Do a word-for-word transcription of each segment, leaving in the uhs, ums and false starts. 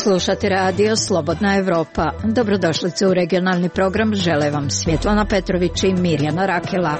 Slušate radio Slobodna Evropa. Dobrodošlice u regionalni program. Žele vam Svjetlana Petrović i Mirjana Rakela.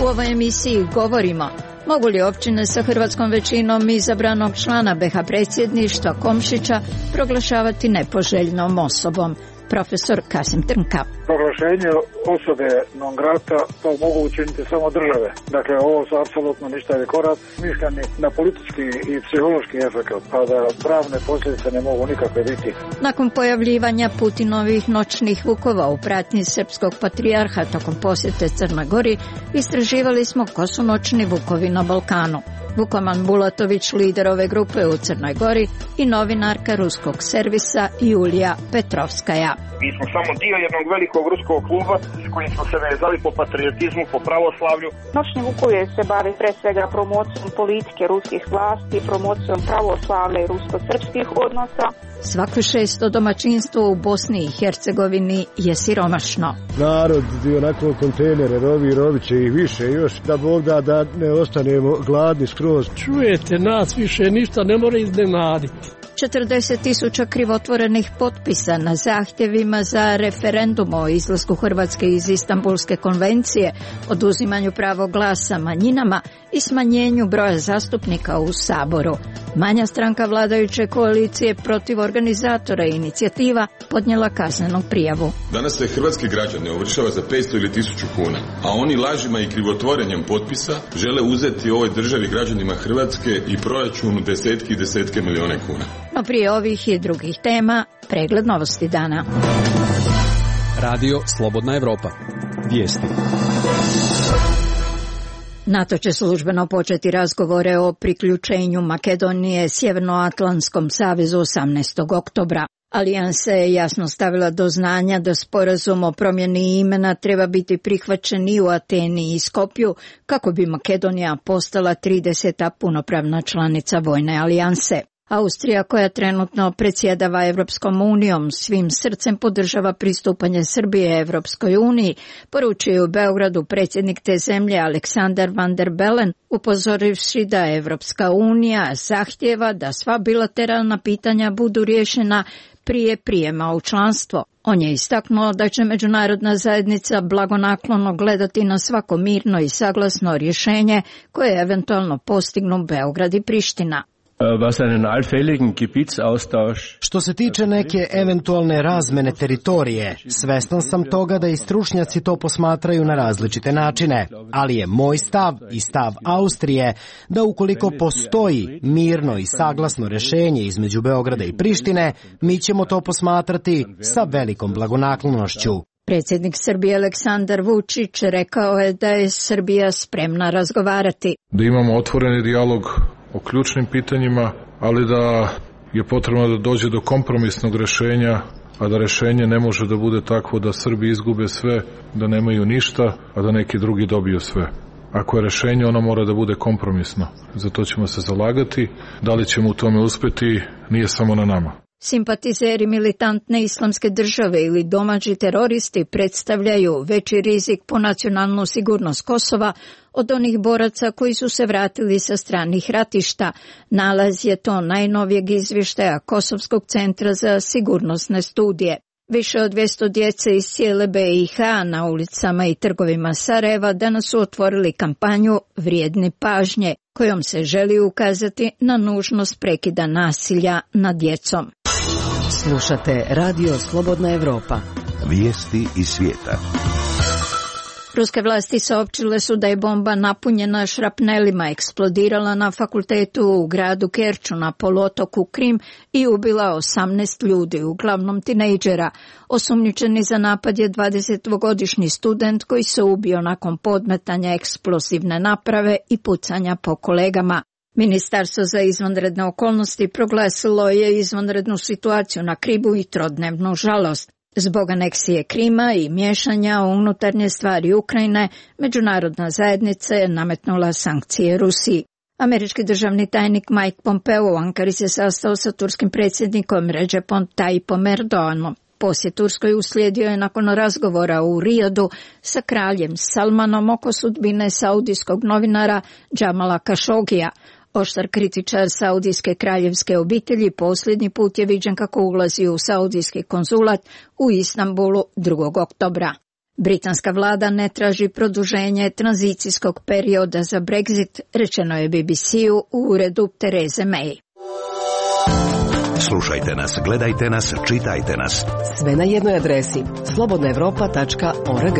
U ovoj emisiji govorimo: mogu li općine sa hrvatskom većinom izabranog člana be ha predsjedništva Komšića proglašavati nepoželjnom osobom? Profesor Kasim Trnka. Proglašenje osobe non grata to mogu učiniti samo države. Dakle, ovo su apsolutno ništavi korak, smišljeni na politički i psihološki efekt, pa da pravne posljedice ne mogu nikakve biti. Nakon pojavljivanja Putinovih noćnih vukova u pratnji srpskog patrijarha tokom posjete Crnoj Gori, istraživali smo ko su noćni vukovi na Balkanu. Vukoman Bulatović, lider ove grupe u Crnoj Gori, i novinarka ruskog servisa Julija Petrovskaja. Mi smo samo dio jednog velikog ruskog kluba s kojim smo se vezali po patriotizmu, po pravoslavlju. Noćni vukovi se bavi pre svega promocijom politike ruskih vlasti, promocijom pravoslavlja i rusko-srpskih odnosa. Svako šesto domaćinstvo u Bosni i Hercegovini je siromašno. Narod i onako kontejnere rovi, rovit će ih više još, da Bog da da ne ostanemo gladni skroz. Čujete, nas više ništa ne mora iznenaditi. četrdeset tisuća krivotvorenih potpisa na zahtjevima za referendum o izlasku Hrvatske iz Istanbulske konvencije, oduzimanju pravo glasa manjinama i smanjenju broja zastupnika u Saboru. Manja stranka vladajuće koalicije protiv organizatora inicijativa podnijela kaznenu prijavu. Danas se hrvatski građane ovršava za petsto ili tisuću kuna, a oni lažima i krivotvorenjem potpisa žele uzeti ovoj državi, građanima Hrvatske i proračunu desetki i desetke milijune kuna. No prije ovih i drugih tema, pregled novosti dana. Radio Slobodna Evropa. Vijesti. NATO će službeno početi razgovore o priključenju Makedonije Sjevernoatlantskom savezu osamnaestog oktobra. Alijansa je jasno stavila do znanja da sporazum o promjeni imena treba biti prihvaćen i u Ateni i Skopju kako bi Makedonija postala trideseta punopravna članica vojne alijanse. Austrija, koja trenutno predsjedava Evropskom unijom, svim srcem podržava pristupanje Srbije Evropskoj uniji, poručuje u Beogradu predsjednik te zemlje Aleksandar Van der Bellen, upozorivši da Evropska unija zahtjeva da sva bilateralna pitanja budu riješena prije prijema u članstvo. On je istaknuo da će međunarodna zajednica blagonaklono gledati na svako mirno i saglasno rješenje koje eventualno postignu Beograd i Priština. Što se tiče neke eventualne razmene teritorije, svestan sam toga da i stručnjaci to posmatraju na različite načine, ali je moj stav i stav Austrije da ukoliko postoji mirno i saglasno rješenje između Beograda i Prištine, mi ćemo to posmatrati sa velikom blagonaklonošću. Predsjednik Srbije Aleksandar Vučić rekao je da je Srbija spremna razgovarati. Da imamo otvoreni dijalog o ključnim pitanjima, ali da je potrebno da dođe do kompromisnog rješenja, a da rješenje ne može da bude takvo da Srbi izgube sve, da nemaju ništa, a da neki drugi dobiju sve. Ako je rješenje, ono mora da bude kompromisno. Za to ćemo se zalagati. Da li ćemo u tome uspjeti, nije samo na nama. Simpatizeri militantne islamske države ili domaći teroristi predstavljaju veći rizik po nacionalnu sigurnost Kosova od onih boraca koji su se vratili sa stranih ratišta. Nalaz je to najnovijeg izvještaja Kosovskog centra za sigurnosne studije. Više od dvjesto djece iz cijele be i ha na ulicama i trgovima Sarajeva danas su otvorili kampanju Vrijedni pažnje, kojom se želi ukazati na nužnost prekida nasilja nad djecom. Slušate Radio Slobodna Evropa. Vijesti iz svijeta. Ruske vlasti saopćile su da je bomba napunjena šrapnelima eksplodirala na fakultetu u gradu Kerču na poluotoku Krim i ubila osamnaest ljudi, uglavnom tinejdžera. Osumnjičeni za napad je dvadesetdvogodišnji student koji se ubio nakon podmetanja eksplozivne naprave i pucanja po kolegama. Ministarstvo za izvanredne okolnosti proglasilo je izvanrednu situaciju na Krimu i trodnevnu žalost. Zbog aneksije Krima i miješanja u unutarnje stvari Ukrajine, međunarodna zajednica je nametnula sankcije Rusiji. Američki državni tajnik Mike Pompeo u Ankari se sastao sa turskim predsjednikom Recepom Tayyipom Erdoganom. Posjet Turskoj uslijedio je nakon razgovora u Rijadu sa kraljem Salmanom oko sudbine saudijskog novinara Džamala Kašogija. Oštar kritičar saudijske kraljevske obitelji posljednji put je viđen kako ulazi u saudijski konzulat u Istanbulu drugog oktobra. Britanska vlada ne traži produženje tranzicijskog perioda za Brexit, rečeno je B B C-u u uredu Tereze May. Slušajte nas, gledajte nas, čitajte nas. Sve na jednoj adresi slobodna evropa tačka org.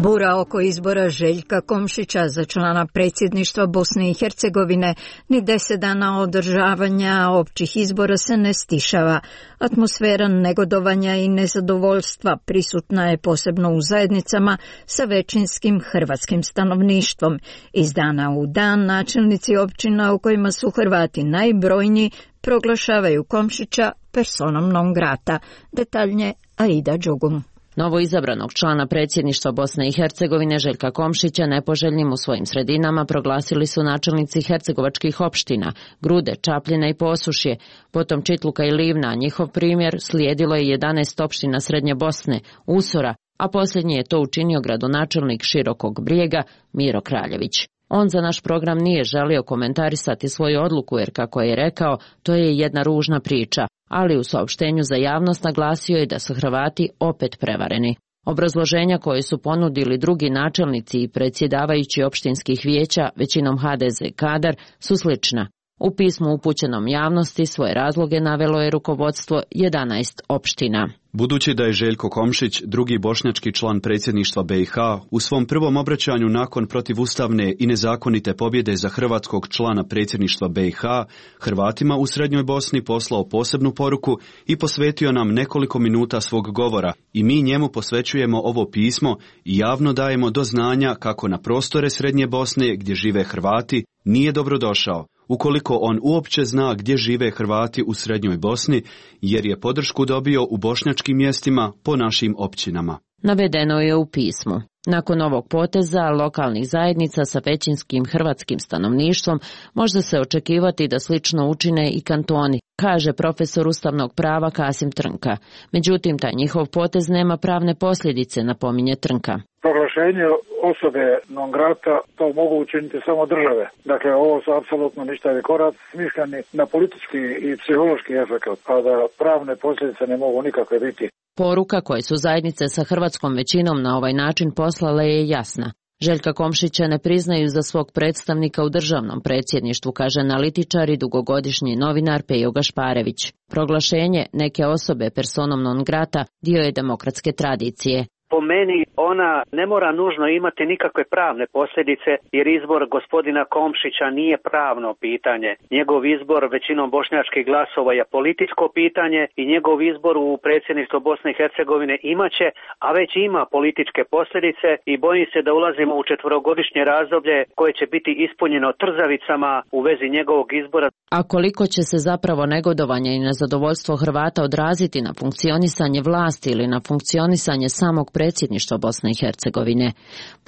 Bura oko izbora Željka Komšića za člana predsjedništva Bosne i Hercegovine ni deset dana održavanja općih izbora se ne stišava. Atmosfera negodovanja i nezadovoljstva prisutna je posebno u zajednicama sa većinskim hrvatskim stanovništvom. Iz dana u dan načelnici općina u kojima su Hrvati najbrojniji proglašavaju Komšića personom non grata. Detaljnije Aida Đugum. Novo izabranog člana predsjedništva Bosne i Hercegovine Željka Komšića nepoželjnim u svojim sredinama proglasili su načelnici hercegovačkih opština Grude, Čapljina i Posušje, potom Čitluka i Livna. Njihov primjer slijedilo je jedanaest opština Srednje Bosne, Usora, a posljednji je to učinio gradonačelnik Širokog Brijega Miro Kraljević. On za naš program nije želio komentarisati svoju odluku jer, kako je rekao, to je jedna ružna priča, ali u saopštenju za javnost naglasio je da su Hrvati opet prevareni. Obrazloženja koje su ponudili drugi načelnici i predsjedavajući opštinskih vijeća, većinom H D Z kadar, su slična. U pismu upućenom javnosti svoje razloge navelo je rukovodstvo jedanaest opština. Budući da je Željko Komšić, drugi bošnjački član predsjedništva B i H, u svom prvom obraćanju nakon protivustavne i nezakonite pobjede za hrvatskog člana predsjedništva B i H, Hrvatima u Srednjoj Bosni poslao posebnu poruku i posvetio nam nekoliko minuta svog govora, i mi njemu posvećujemo ovo pismo i javno dajemo do znanja kako na prostore Srednje Bosne gdje žive Hrvati nije dobrodošao, ukoliko on uopće zna gdje žive Hrvati u Srednjoj Bosni, jer je podršku dobio u bošnjačkim mjestima po našim općinama. Navedeno je u pismu. Nakon ovog poteza lokalnih zajednica sa većinskim hrvatskim stanovništvom može se očekivati da slično učine i kantoni, kaže profesor ustavnog prava Kasim Trnka. Međutim, taj njihov potez nema pravne posljedice, napominje Trnka. Proglašenje osobe non grata to mogu učiniti samo države. Dakle, ovo su apsolutno ništavi korak smišljeni na politički i psihološki efekt, a da pravne posljedice ne mogu nikakve biti. Poruka koje su zajednice sa hrvatskom većinom na ovaj način poslale je jasna. Željka Komšića ne priznaju za svog predstavnika u državnom predsjedništvu, kaže analitičar i dugogodišnji novinar Pejo Gašparević. Proglašenje neke osobe personom non grata dio je demokratske tradicije. Po meni ona ne mora nužno imati nikakve pravne posljedice, jer izbor gospodina Komšića nije pravno pitanje. Njegov izbor većinom bošnjačkih glasova je političko pitanje i njegov izbor u predsjedništvo Bosne i Hercegovine imaće, a već ima političke posljedice i bojim se da ulazimo u četverogodišnje razdoblje koje će biti ispunjeno trzavicama u vezi njegovog izbora. A koliko će se zapravo negodovanje i nezadovoljstvo Hrvata odraziti na funkcionisanje vlasti ili na funkcionisanje samog predsjedništva Bosne i Hercegovine?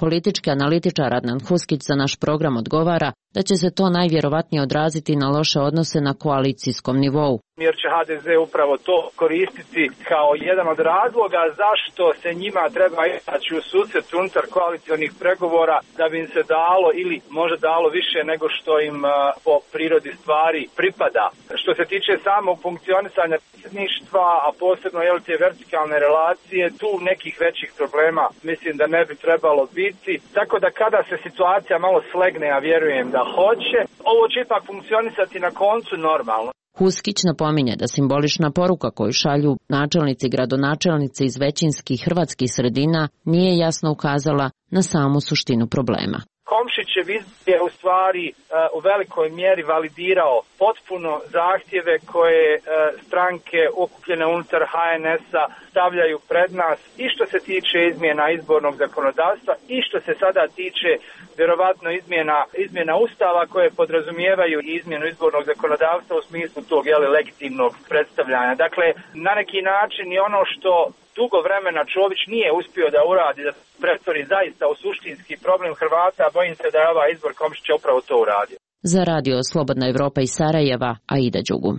Politički analitičar Adnan Huskić za naš program odgovara da će se to najvjerovatnije odraziti na loše odnose na koalicijskom nivou. Jer će H D Z upravo to koristiti kao jedan od razloga zašto se njima treba izaći u susret unutar koalicionih pregovora da bi im se dalo ili možda dalo više nego što im uh, po prirodi stvari pripada. Što se tiče samog funkcionisanja predsjedništva, a posebno jel, te vertikalne relacije, tu nekih većih problema mislim da ne bi trebalo biti. Tako da kada se situacija malo slegne, a vjerujem da hoće, ovo će ipak funkcionisati na koncu normalno. Huskić napominje da simbolična poruka koju šalju načelnici i gradonačelnici iz većinskih hrvatskih sredina nije jasno ukazala na samu suštinu problema. Komšićev izbor je u stvari uh, u velikoj mjeri validirao potpuno zahtjeve koje uh, stranke okupljene unutar H N S-a stavljaju pred nas i što se tiče izmjena izbornog zakonodavstva i što se sada tiče vjerovatno izmjena, izmjena ustava koje podrazumijevaju izmjenu izbornog zakonodavstva u smislu tog jeli, legitimnog predstavljanja. Dakle, na neki način i ono što dugo vremena Čović nije uspio da uradi, da pretvori zaista u suštinski problem Hrvata, bojim se da je ovaj izbor Komšića upravo to uradio. Za radio Slobodna Evropa iz Sarajeva, Aida Đugum.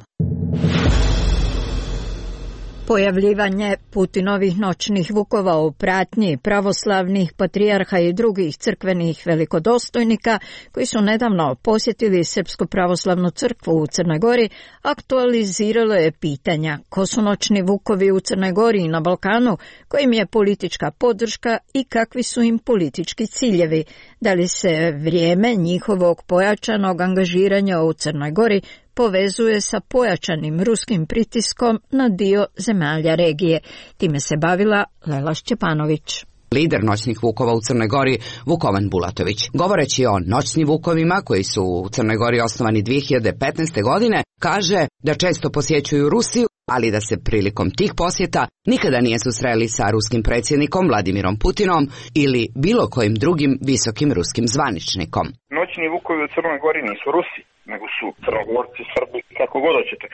Pojavljivanje Putinovih noćnih vukova u pratnji pravoslavnih patrijarha i drugih crkvenih velikodostojnika koji su nedavno posjetili Srpsku pravoslavnu crkvu u Crnoj Gori aktualiziralo je pitanja ko su noćni vukovi u Crnoj Gori i na Balkanu, kojim je politička podrška i kakvi su im politički ciljevi. Da li se vrijeme njihovog pojačanog angažiranja u Crnoj Gori povezuje sa pojačanim ruskim pritiskom na dio zemalja regije. Time se bavila Lela Šćepanović. Lider noćnih vukova u Crnoj Gori, Vukovan Bulatović. Govoreći o noćnim vukovima koji su u Crnoj Gori osnovani dvije hiljade petnaeste. godine, kaže da često posjećuju Rusiju, ali da se prilikom tih posjeta nikada nije susreli sa ruskim predsjednikom Vladimirom Putinom ili bilo kojim drugim visokim ruskim zvaničnikom. Noćni vukovi u Crnoj Gori nisu Rusi, nego su Crnogorci, Srbi, kako god hoćete.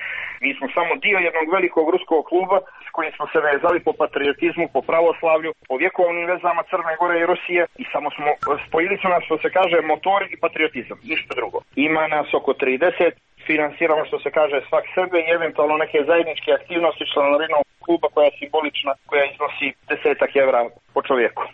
Mi smo samo dio jednog velikog ruskog kluba s kojim smo se vezali po patriotizmu, po pravoslavlju, po vjekovnim vezama Crne Gore i Rusije i samo smo spojili su nas, što se kaže, motori i patriotizam, ništa drugo. Ima nas oko trideset, finansiramo, što se kaže, svak sebe i eventualno neke zajedničke aktivnosti članarinom kluba koja je simbolična, koja iznosi desetak evra po čovjeku.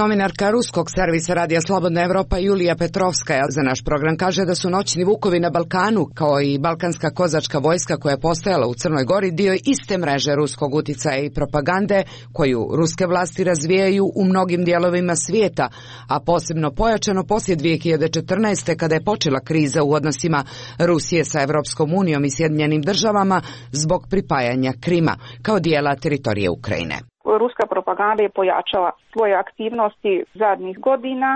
Novinarka ruskog servisa Radija Slobodna Evropa Julija Petrovskaja za naš program kaže da su noćni vukovi na Balkanu, kao i balkanska kozačka vojska koja je postojala u Crnoj Gori, dio iste mreže ruskog uticaja i propagande koju ruske vlasti razvijaju u mnogim dijelovima svijeta, a posebno pojačano poslije dvije hiljade četrnaeste. kada je počela kriza u odnosima Rusije sa Evropskom unijom i Sjedinjenim državama zbog pripajanja Krima kao dijela teritorije Ukrajine. Ruska propaganda je pojačala svoje aktivnosti zadnjih godina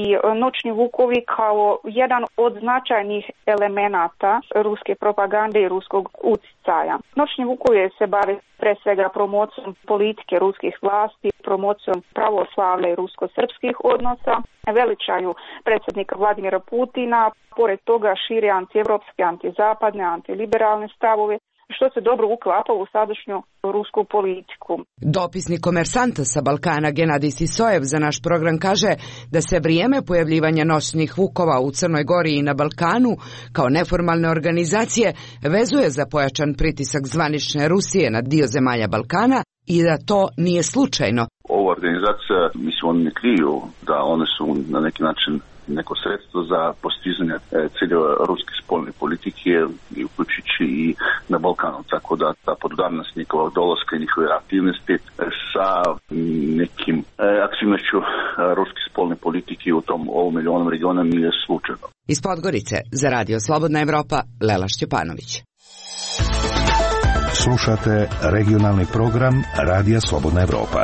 i noćni vukovi kao jedan od značajnih elemenata ruske propagande i ruskog utjecaja. Noćni vukovi se bave pre svega promocijom politike ruskih vlasti, promocijom pravoslavlja i rusko-srpskih odnosa, veličaju predsjednika Vladimira Putina, pored toga šire antievropske, antizapadne, antiliberalne stavove, što se dobro uklapa u sadašnju rusku politiku. Dopisnik Komersanta sa Balkana Genadij Sisojev za naš program kaže da se vrijeme pojavljivanja noćnih vukova u Crnoj Gori i na Balkanu kao neformalne organizacije vezuje za pojačan pritisak zvanične Rusije na dio zemalja Balkana i da to nije slučajno. Ova organizacija, mislim, oni ne kriju da one su na neki način neko sredstvo za postizanje ciljeva ruske spoljne politike i uključujući i na Balkanu, tako da ta podudarnost njihova dolaska i njihove aktivnosti sa nekim aktivnošću ruske spoljne politike u tom ovom milionom regiona nije slučajno. Iz Podgorice za Radio Slobodna Evropa, Lela Šćepanović. Slušate regionalni program Radija Slobodna Evropa.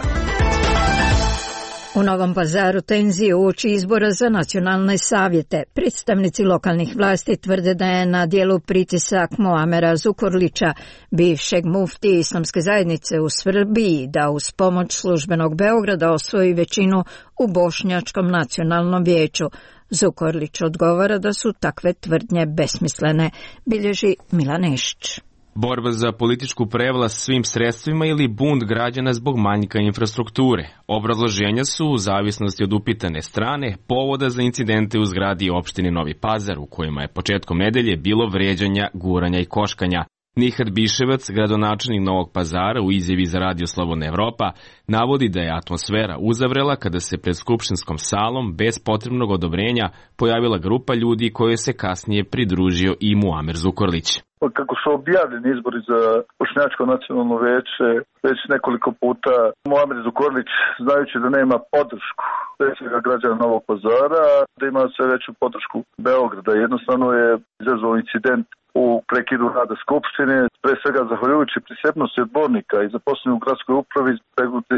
U Novom Pazaru tenzije uoči izbora za nacionalne savjete. Predstavnici lokalnih vlasti tvrde da je na dijelu pritisak Muamera Zukorlića, bivšeg mufti islamske zajednice u Srbiji, da uz pomoć službenog Beograda osvoji većinu u Bošnjačkom nacionalnom vijeću. Zukorlić odgovara da su takve tvrdnje besmislene, bilježi Milan Nešć. Borba za političku prevlast svim sredstvima ili bunt građana zbog manjka infrastrukture. Obrazloženja su, u zavisnosti od upitane strane, povoda za incidente u zgradi opštine Novi Pazar, u kojima je početkom nedelje bilo vređanja, guranja i koškanja. Nihad Biševac, gradonačelnik Novog Pazara, u izjavi za Radio Slobodna Evropa, navodi da je atmosfera uzavrela kada se pred skupštinskom salom bez potrebnog odobrenja pojavila grupa ljudi kojoj se kasnije pridružio i Muamer Zukorlić. Kako su objavljeni izbori za Bošnjačko nacionalno vijeće već nekoliko puta, Muamer Zukorlić, znajući da nema podršku predsjednika građana Novog Pazara, da ima sve veću podršku Beograda, jednostavno je izazvao incident u prekidu rada skupštine, pre svega zahvaljujući prisebnosti odbornika i zaposlenih u gradskoj upravi,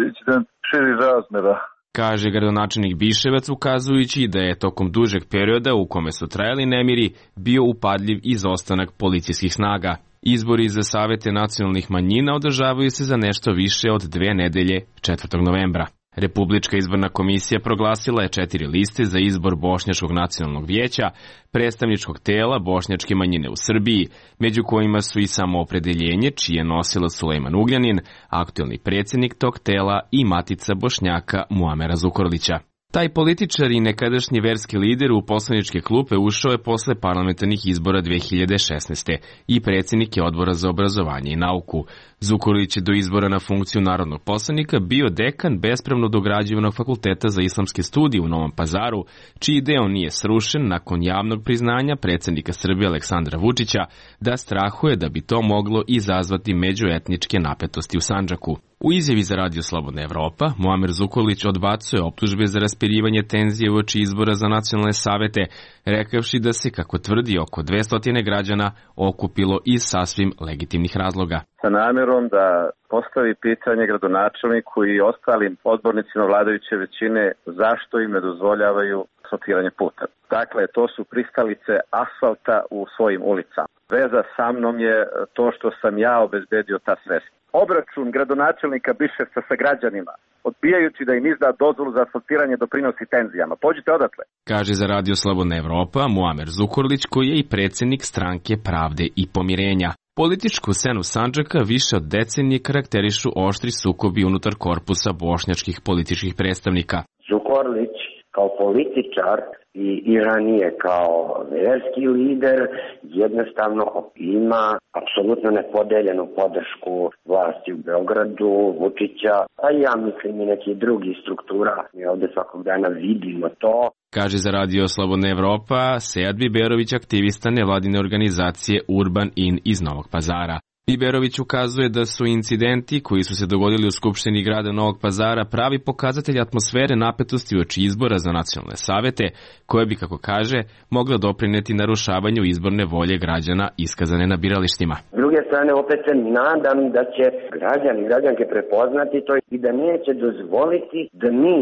incident širi razmjera. Kaže gradonačelnik Biševac, ukazujući da je tokom dužeg perioda u kome su trajali nemiri bio upadljiv izostanak policijskih snaga. Izbori za savete nacionalnih manjina održavaju se za nešto više od dve nedelje, četvrtog novembra. Republička izborna komisija proglasila je četiri liste za izbor Bošnjačkog nacionalnog vijeća, predstavničkog tela bošnjačke manjine u Srbiji, među kojima su i Samoopredeljenje, čije nosila Sulejman Ugljanin, aktuelni predsjednik tog tela i matica Bošnjaka Muamera Zukorlića. Taj političar i nekadašnji verski lider u poslaničke klupe ušao je posle parlamentarnih izbora dve hiljade šesnaeste. i predsjednik je odbora za obrazovanje i nauku. Zukorlić je do izbora na funkciju narodnog poslanika bio dekan bespravno dograđivanog fakulteta za islamske studije u Novom Pazaru, čiji deo nije srušen nakon javnog priznanja predsjednika Srbije Aleksandra Vučića da strahuje da bi to moglo izazvati međuetničke napetosti u Sandžaku. U izjavi za Radio Slobodna Evropa, Muamer Zukorlić odbacuje optužbe za raspirivanje tenzije uoči izbora za nacionalne savete, rekavši da se, kako tvrdi, oko dvesta građana okupilo iz sasvim legitimnih razloga. Sa namjerom da postavi pitanje gradonačelniku i ostalim odbornicima vladajuće većine zašto im ne dozvoljavaju asfaltiranje puta. Dakle, to su pristalice asfalta u svojim ulicama. Veza sa mnom je to što sam ja obezbedio ta sredstva. Obračun gradonačelnika Biševca sa građanima, odbijajući da im izda dozvolu za asfaltiranje, doprinosi tenzijama. Pođite odatle. Kaže za Radio Slobodna Evropa Muamer Zukorlić, koji je i predsjednik Stranke pravde i pomirenja. Političku scenu Sandžaka više od decenije karakterišu oštri sukobi unutar korpusa bošnjačkih političkih predstavnika. Zukorlić kao političar i, i ranije kao verski lider jednostavno ima apsolutno nepodeljenu podršku vlasti u Beogradu, Vučića, a ja mislim i nekih drugih struktura. Mi ovdje svakog dana vidimo to. Kaže za Radio Slobodna Evropa Sead Biberović, aktivista nevladine organizacije Urban In iz Novog Pazara. Biberović ukazuje da su incidenti koji su se dogodili u Skupštini grada Novog Pazara pravi pokazatelj atmosfere napetosti uoči izbora za nacionalne savete, koje bi, kako kaže, mogla doprineti narušavanju izborne volje građana iskazane na biralištima. S druge strane, opet se nadam da će građani i građanke prepoznati to i da neće dozvoliti da mi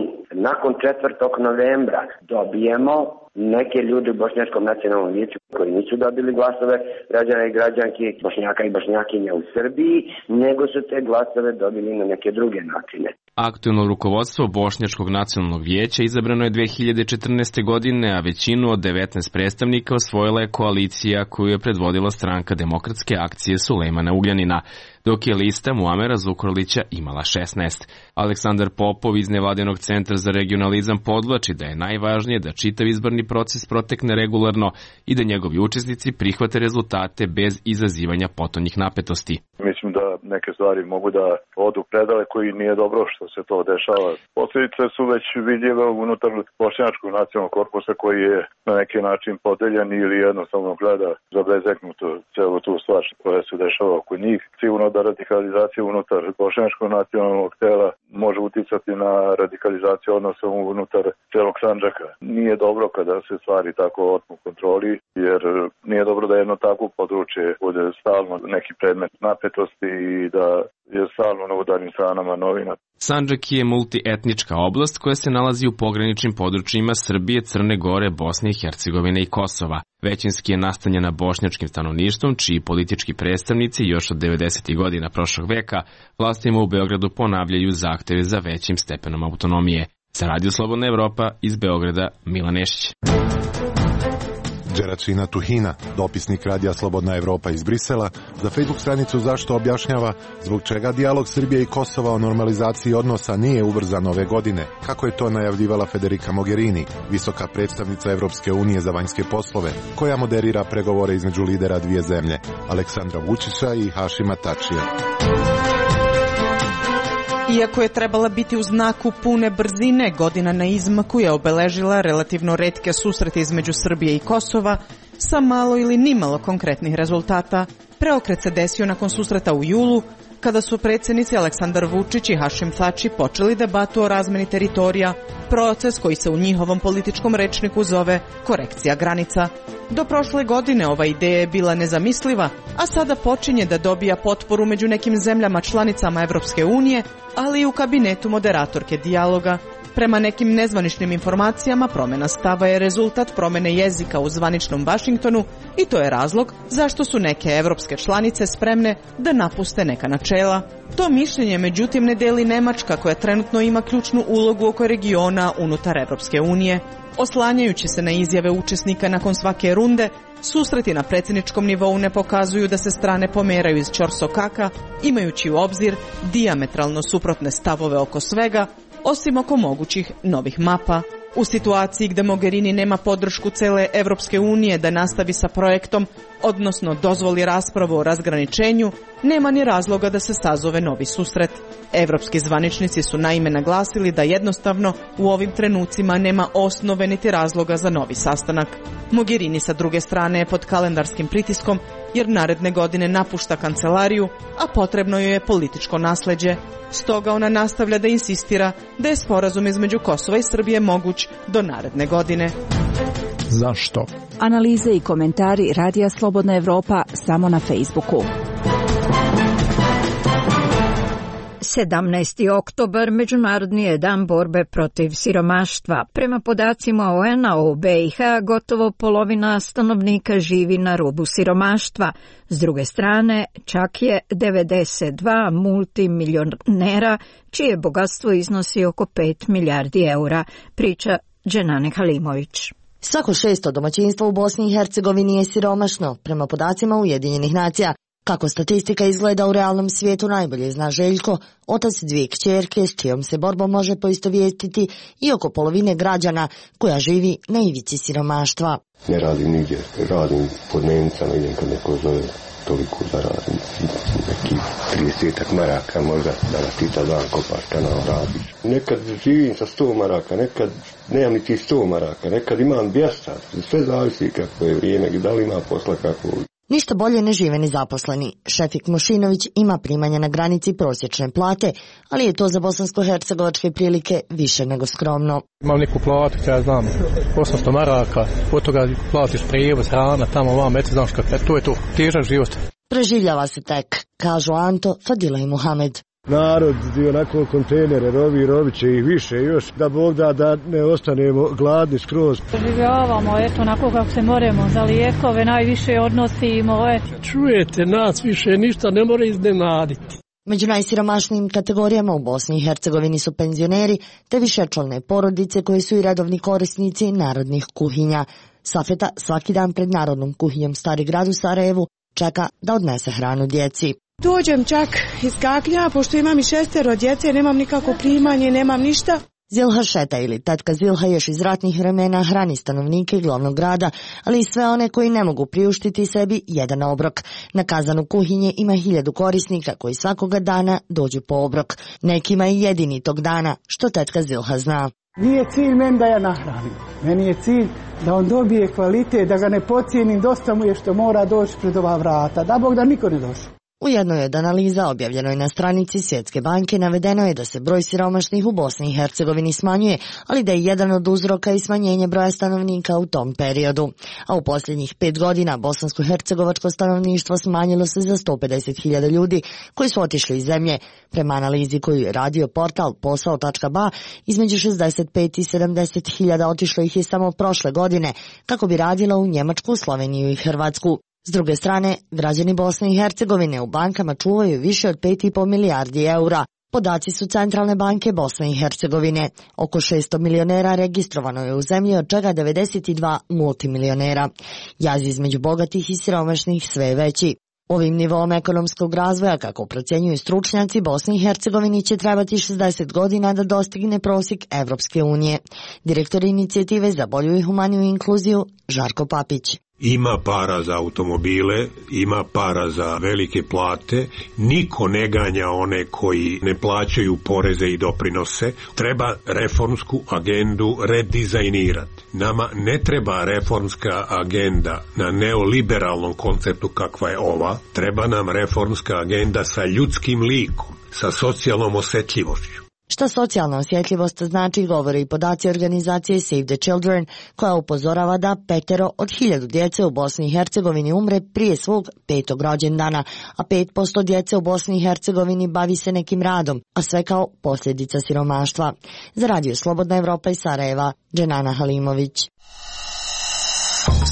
nakon četvrtog novembra dobijemo neke ljude u Bošnjačkom nacionalnom vijeću koji nisu dobili glasove građana i građanki, Bošnjaka i Bošnjakinja u Srbiji, nego su te glasove dobili na neke druge načine. Aktuelno rukovodstvo Bošnjačkog nacionalnog vijeća izabrano je dve hiljade četrnaeste. godine, a većinu od devetnaest predstavnika osvojila je koalicija koju je predvodila Stranka demokratske akcije Sulejmana Ugljanina, dok je lista Muamera Zukorlića imala šesnaest. Aleksandar Popov iz Nevladinog centra za regionalizam podvlači da je najvažnije da čitav izborni proces protekne regularno i da njegovi učesnici prihvate rezultate bez izazivanja potonjih napetosti. Mislim da neke stvari mogu da odu predale koji nije dobro što se to dešava. Posljedice su već vidljive unutar Bošnjačkog nacionalnog korpusa koji je na neki način podeljen ili jednostavno gleda zabezeknuto celu tu stvar koja se dešava oko njih. Sigurno da radikalizacija unutar Bošnjačkog nacionalnog tela može uticati na radikalizaciju odnosa unutar celog Sandžaka. Nije dobro kada se stvari tako otmu kontroli, jer nije dobro da jedno takvo područje bude stalno neki predmet napetosti i da je stalno na udarnim stranama novina. Sandžak je multietnička oblast koja se nalazi u pograničnim područjima Srbije, Crne Gore, Bosne i Hercegovine i Kosova. Većinski je nastanjena bošnjačkim stanovništvom, čiji politički predstavnici još od devedesetih godina prošlog veka vlastima u Beogradu ponavljaju zahteve za većim stepenom autonomije. Za Radio Slobodna Evropa iz Beograda, Milan Nešić. Đeračina Tuhina, dopisnik Radija Slobodna Evropa iz Brisela, za Facebook stranicu Zašto objašnjava zbog čega dijalog Srbije i Kosova o normalizaciji odnosa nije ubrzan ove godine, kako je to najavljivala Federica Mogherini, visoka predstavnica Evropske unije za vanjske poslove, koja moderira pregovore između lidera dvije zemlje, Aleksandra Vučića i Hašima Tačija. Iako je trebala biti u znaku pune brzine, godina na izmaku je obeležila relativno retke susrete između Srbije i Kosova sa malo ili nimalo konkretnih rezultata. Preokret se desio nakon susreta u julu, kada su predsjednici Aleksandar Vučić i Hašim Tači počeli debatu o razmeni teritorija, proces koji se u njihovom političkom rečniku zove korekcija granica. Do prošle godine ova ideja je bila nezamisliva, a sada počinje da dobija potporu među nekim zemljama članicama Evropske unije, ali i u kabinetu moderatorke dijaloga. Prema nekim nezvaničnim informacijama, promjena stava je rezultat promjene jezika u zvaničnom Vašingtonu i to je razlog zašto su neke evropske članice spremne da napuste neka načela. To mišljenje međutim ne deli Nemačka, koja trenutno ima ključnu ulogu oko regiona unutar Evropske unije. Oslanjajući se na izjave učesnika nakon svake runde, susreti na predsjedničkom nivou ne pokazuju da se strane pomeraju iz ćorsokaka, imajući u obzir dijametralno suprotne stavove oko svega, osim oko mogućih novih mapa. U situaciji gde Mogherini nema podršku cele Evropske unije da nastavi sa projektom, odnosno dozvoli raspravu o razgraničenju, nema ni razloga da se sazove novi susret. Evropski zvaničnici su naime naglasili da jednostavno u ovim trenucima nema osnove niti razloga za novi sastanak. Mogherini sa druge strane je pod kalendarskim pritiskom jer naredne godine napušta kancelariju, a potrebno joj je političko nasleđe. Stoga ona nastavlja da insistira da je sporazum između Kosova i Srbije moguć do naredne godine. Zašto? Analize i komentari Radija Slobodna Evropa samo na Facebooku. sedamnaesti oktobar Međunarodni je dan borbe protiv siromaštva. Prema podacima O E N-a u B i H gotovo polovina stanovnika živi na rubu siromaštva. S druge strane, čak je devedeset dva multimilionera čije bogatstvo iznosi oko pet milijardi eura, priča Dženane Halimović. Svako šesto domaćinstvo u Bosni i Hercegovini je siromašno, prema podacima Ujedinjenih nacija. Kako statistika izgleda u realnom svijetu najbolje zna Željko, otac dvije kćerke s čijom se borbom može poistovjetiti i oko polovine građana koja živi na ivici siromaštva. Ne radim nigdje, radim po dnevnicama, idem kad neko zove, toliko zaradim, neki tridesetak maraka možda da nas pita dan kopaš kanal radiš. Nekad živim sa sto maraka, nekad nemam niti sto maraka, nekad imam dvjesto, sve zavisi kako je vrijeme, da li ima posla kako. Ništa bolje ne žive ni zaposleni. Šefik Mošinović ima primanja na granici prosječne plate, ali je to za bosansko-hercegovačke prilike više nego skromno. Imam neku platu, ja znam, osamsto maraka, od toga platiš prijevoz, hrana, tamo vam, eto znaš kako, to je to, težak život. Preživljava se tek, kažu Anto, Fadila i Muhamed. Narod i onako kontejnere rovi, rovit će ih više još, da Bog da da ne ostanemo gladni skroz. Življavamo, eto, onako kako se moramo, za lijekove najviše odnosimo, eto. Čujete, nas više ništa ne mora iznenaditi. Među najsiromašnijim kategorijama u Bosni i Hercegovini su penzioneri te višečlane porodice koji su i redovni korisnici narodnih kuhinja. Safeta svaki dan pred Narodnom kuhinjom Stari grad u Sarajevu čeka da odnese hranu djeci. Dođem čak iz Kaknja, pošto imam i šestero djece, nemam nikako primanje, nemam ništa. Zilha Šeta ili tetka Zilha još iz ratnih vremena hrani stanovnike glavnog grada, ali i sve one koji ne mogu priuštiti sebi jedan obrok. Na kazanu kuhinje ima hiljadu korisnika koji svakoga dana dođu po obrok. Nekima i jedini tog dana, što tetka Zilha zna. Nije cilj meni da ja nahranim. Meni je cilj da on dobije kvalitet, da ga ne pocijenim, dosta mu je što mora doći pred ova vrata. Da Bog da niko ne došao. U jednoj od analiza objavljenoj na stranici Svjetske banke navedeno je da se broj siromašnih u Bosni i Hercegovini smanjuje, ali da je jedan od uzroka i smanjenje broja stanovnika u tom periodu. A u posljednjih pet godina bosansko-hercegovačko stanovništvo smanjilo se za sto pedeset hiljada ljudi koji su otišli iz zemlje. Prema analizi koju je radio portal posao tačka ba, između šezdeset pet i sedamdeset hiljada otišlo ih je samo prošle godine, kako bi radilo u Njemačku, Sloveniju i Hrvatsku. S druge strane, građani Bosne i Hercegovine u bankama čuvaju više od pet i po milijardi eura. Podaci su Centralne banke Bosne i Hercegovine. Oko šesto milionera registrovano je u zemlji, od čega devedeset dva multimilionera. Jaz između bogatih i siromašnih sve je veći. Ovim nivom ekonomskog razvoja, kako procjenjuju stručnjaci, Bosni i Hercegovini će trebati šezdeset godina da dostigne prosjek Evropske unije. Direktor inicijative za bolju i humaniju inkluziju Žarko Papić. Ima para za automobile, ima para za velike plate, niko ne ganja one koji ne plaćaju poreze i doprinose, treba reformsku agendu redizajnirati. Nama ne treba reformska agenda na neoliberalnom konceptu kakva je ova, treba nam reformska agenda sa ljudskim likom, sa socijalnom osjetljivošću. Šta socijalna osjetljivost znači, govore i podaci organizacije Save the Children, koja upozorava da petero od hiljadu djece u Bosni i Hercegovini umre prije svog petog rođendana, a pet posto djece u Bosni i Hercegovini bavi se nekim radom, a sve kao posljedica siromaštva. Za Radio Slobodna Evropa iz Sarajeva, Dženana Halimović.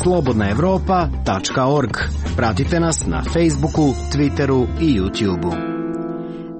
slobodna evropa tačka org. Pratite nas na Facebooku, Twitteru i YouTubeu.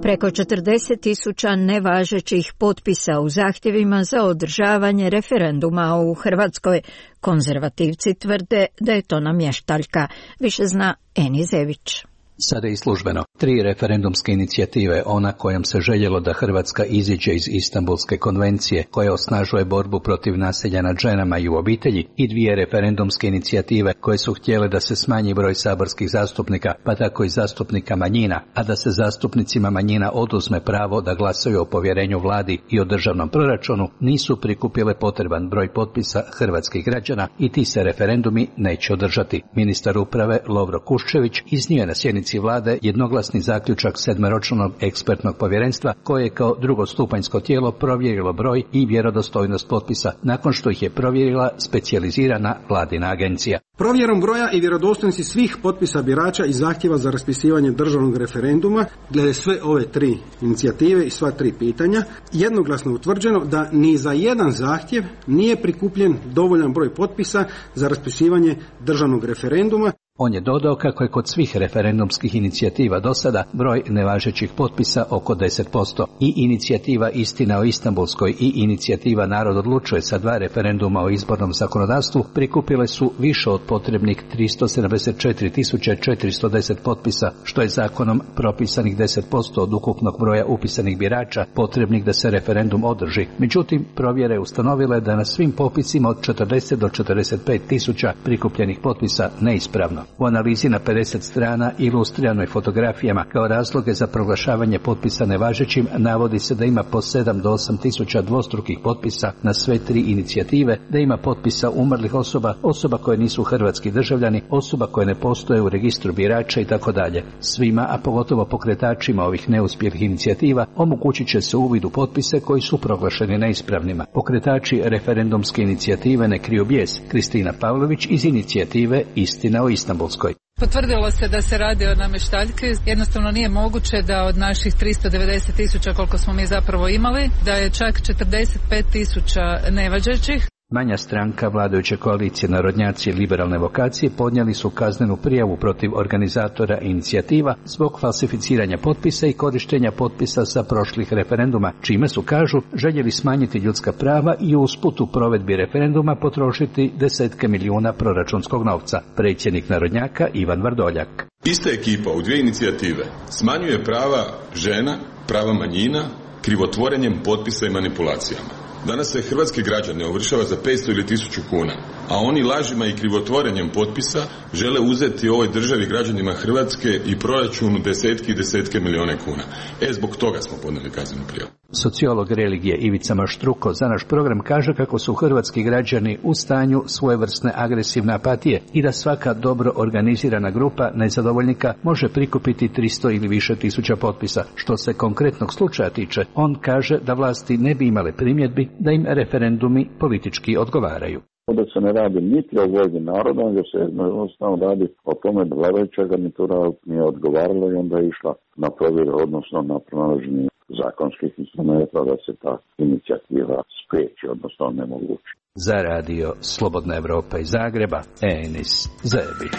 Preko četrdeset tisuća nevažećih potpisa u zahtjevima za održavanje referenduma u Hrvatskoj. Konzervativci tvrde da je to namještaljka. Više zna Eni Zević. Sada je i službeno. Tri referendumske inicijative, ona kojom se željelo da Hrvatska iziđe iz Istanbulske konvencije, koja osnažuje borbu protiv nasilja nad ženama i u obitelji, i dvije referendumske inicijative koje su htjele da se smanji broj saborskih zastupnika, pa tako i zastupnika manjina, a da se zastupnicima manjina oduzme pravo da glasaju o povjerenju vladi i o državnom proračunu, nisu prikupile potreban broj potpisa hrvatskih građana i ti se referendumi neće održati. Ministar uprave Lovro Kuščević iznio je na sjednici vlade jednoglasni zaključak sedmeročnog ekspertnog povjerenstva koje je kao drugostupanjsko tijelo provjerilo broj i vjerodostojnost potpisa nakon što ih je provjerila specijalizirana vladina agencija. Provjerom broja i vjerodostojnosti svih potpisa birača i zahtjeva za raspisivanje državnog referenduma glede sve ove tri inicijative i sva tri pitanja jednoglasno utvrđeno da ni za jedan zahtjev nije prikupljen dovoljan broj potpisa za raspisivanje državnog referenduma. On je dodao kako je kod svih referendumskih inicijativa do sada broj nevažećih potpisa oko deset posto. I inicijativa Istina o Istanbulskoj i inicijativa Narod odlučuje sa dva referenduma o izbornom zakonodavstvu prikupile su više od potrebnih tristo sedamdeset četiri tisuće četiristo deset potpisa, što je zakonom propisanih deset posto od ukupnog broja upisanih birača potrebnih da se referendum održi. Međutim, provjere ustanovile da na svim popisima od četrdeset do četrdeset pet tisuća prikupljenih potpisa neispravno. U analizi na pedeset strana ilustriranoj fotografijama kao razloge za proglašavanje potpisa nevažećim navodi se da ima po sedam do osam tisuća dvostrukih potpisa na sve tri inicijative, da ima potpisa umrlih osoba, osoba koje nisu hrvatski državljani, osoba koje ne postoje u registru birača i tako dalje. Svima, a pogotovo pokretačima ovih neuspjelih inicijativa, omogućit će se uvid u potpise koji su proglašeni neispravnima. Pokretači referendumske inicijative Ne kriju bijes, Kristina Pavlović iz inicijative Istina o Istanbulskoj. Potvrdilo se da se radi o namještaljki. Jednostavno nije moguće da od naših tristo devedeset tisuća koliko smo mi zapravo imali, da je čak četrdeset pet tisuća nevažećih. Manja stranka vladajuće koalicije Narodnjaci i liberalne vokacije podnijeli su kaznenu prijavu protiv organizatora inicijativa zbog falsificiranja potpisa i korištenja potpisa sa prošlih referenduma, čime su, kažu, željeli smanjiti ljudska prava i usput u provedbi referenduma potrošiti desetke milijuna proračunskog novca. Predsjednik Narodnjaka Ivan Vrdoljak. Ista ekipa u dvije inicijative smanjuje prava žena, prava manjina, krivotvorenjem potpisa i manipulacijama. Danas se hrvatski građane ovršava za petsto ili tisuću kuna, a oni lažima i krivotvorenjem potpisa žele uzeti ovoj državi, građanima Hrvatske i proračunu desetke i desetke milijone kuna. E, zbog toga smo podnijeli kaznenu prijavu. Sociolog religije Ivica Maštruko za naš program kaže kako su hrvatski građani u stanju svojevrsne agresivne apatije i da svaka dobro organizirana grupa nezadovoljnika može prikupiti tristo ili više tisuća potpisa. Što se konkretnog slučaja tiče, on kaže da vlasti ne bi imale primjedbi da im referendumi politički odgovaraju. Da se ne radi niti o volji naroda, nego se jednostavno radi o tome da vladajuća garnitura nije odgovarala i onda je išla na provjeru, odnosno na pronalaženje zakonskih instrumenta da se ta inicijativa spriječi, odnosno onemogući. Za radio Slobodna Evropa iz Zagreba, Enis Zebić.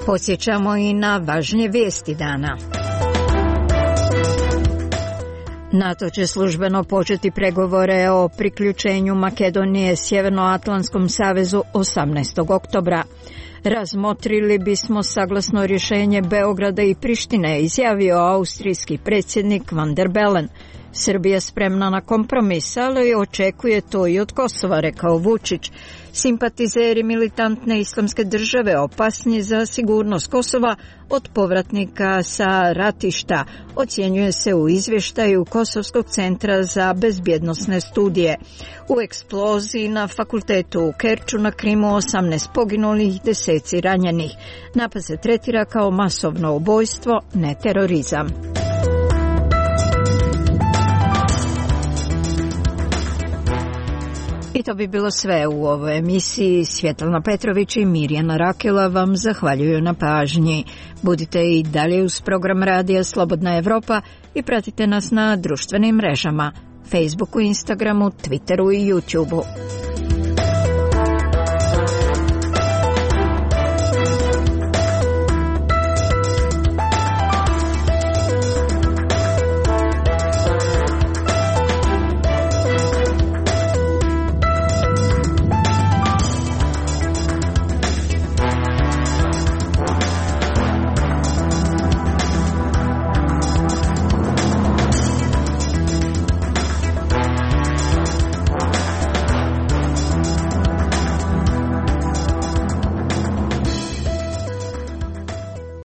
Podsjećamo i na važnije vijesti dana. NATO će službeno početi pregovore o priključenju Makedonije Sjevernoatlantskom savezu osamnaestog oktobra. Razmotrili bismo saglasno rješenje Beograda i Prištine, izjavio austrijski predsjednik Van der Bellen. Srbija spremna na kompromis, ali očekuje to i od Kosova, rekao Vučić. Simpatizeri militantne islamske države opasni za sigurnost Kosova od povratnika sa ratišta, ocjenjuje se u izvještaju Kosovskog centra za bezbjednosne studije. U eksploziji na fakultetu u Kerču na Krimu osamnaest poginulih, deseci ranjenih. Napad se tretira kao masovno ubojstvo, ne terorizam. I to bi bilo sve u ovoj emisiji. Svjetlana Petrović i Mirjana Rakela vam zahvaljuju na pažnji. Budite i dalje uz program Radija Slobodna Evropa i pratite nas na društvenim mrežama, Facebooku, Instagramu, Twitteru i YouTubeu.